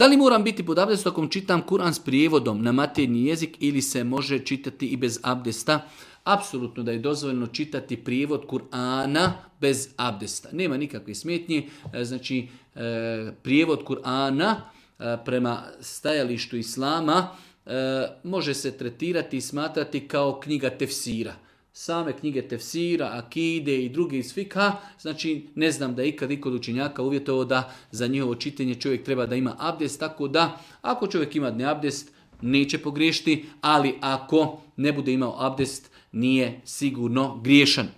Da li moram biti pod abdestom ako čitam Kur'an s prijevodom na materinji jezik ili se može čitati i bez abdesta? Apsolutno da je dozvoljeno čitati prijevod Kur'ana bez abdesta. Nema nikakve smetnje. Znači, prijevod Kur'ana prema stajalištu islama može se tretirati i smatrati kao knjiga tefsira. Same knjige tefsira, akide i druge iz fikha, znači ne znam da je ikad od učenjaka uvjetovao da za njihovo čitanje čovjek treba da ima abdest, tako da ako čovjek ima neabdest neće pogriješiti, ali ako ne bude imao abdest nije sigurno griješan.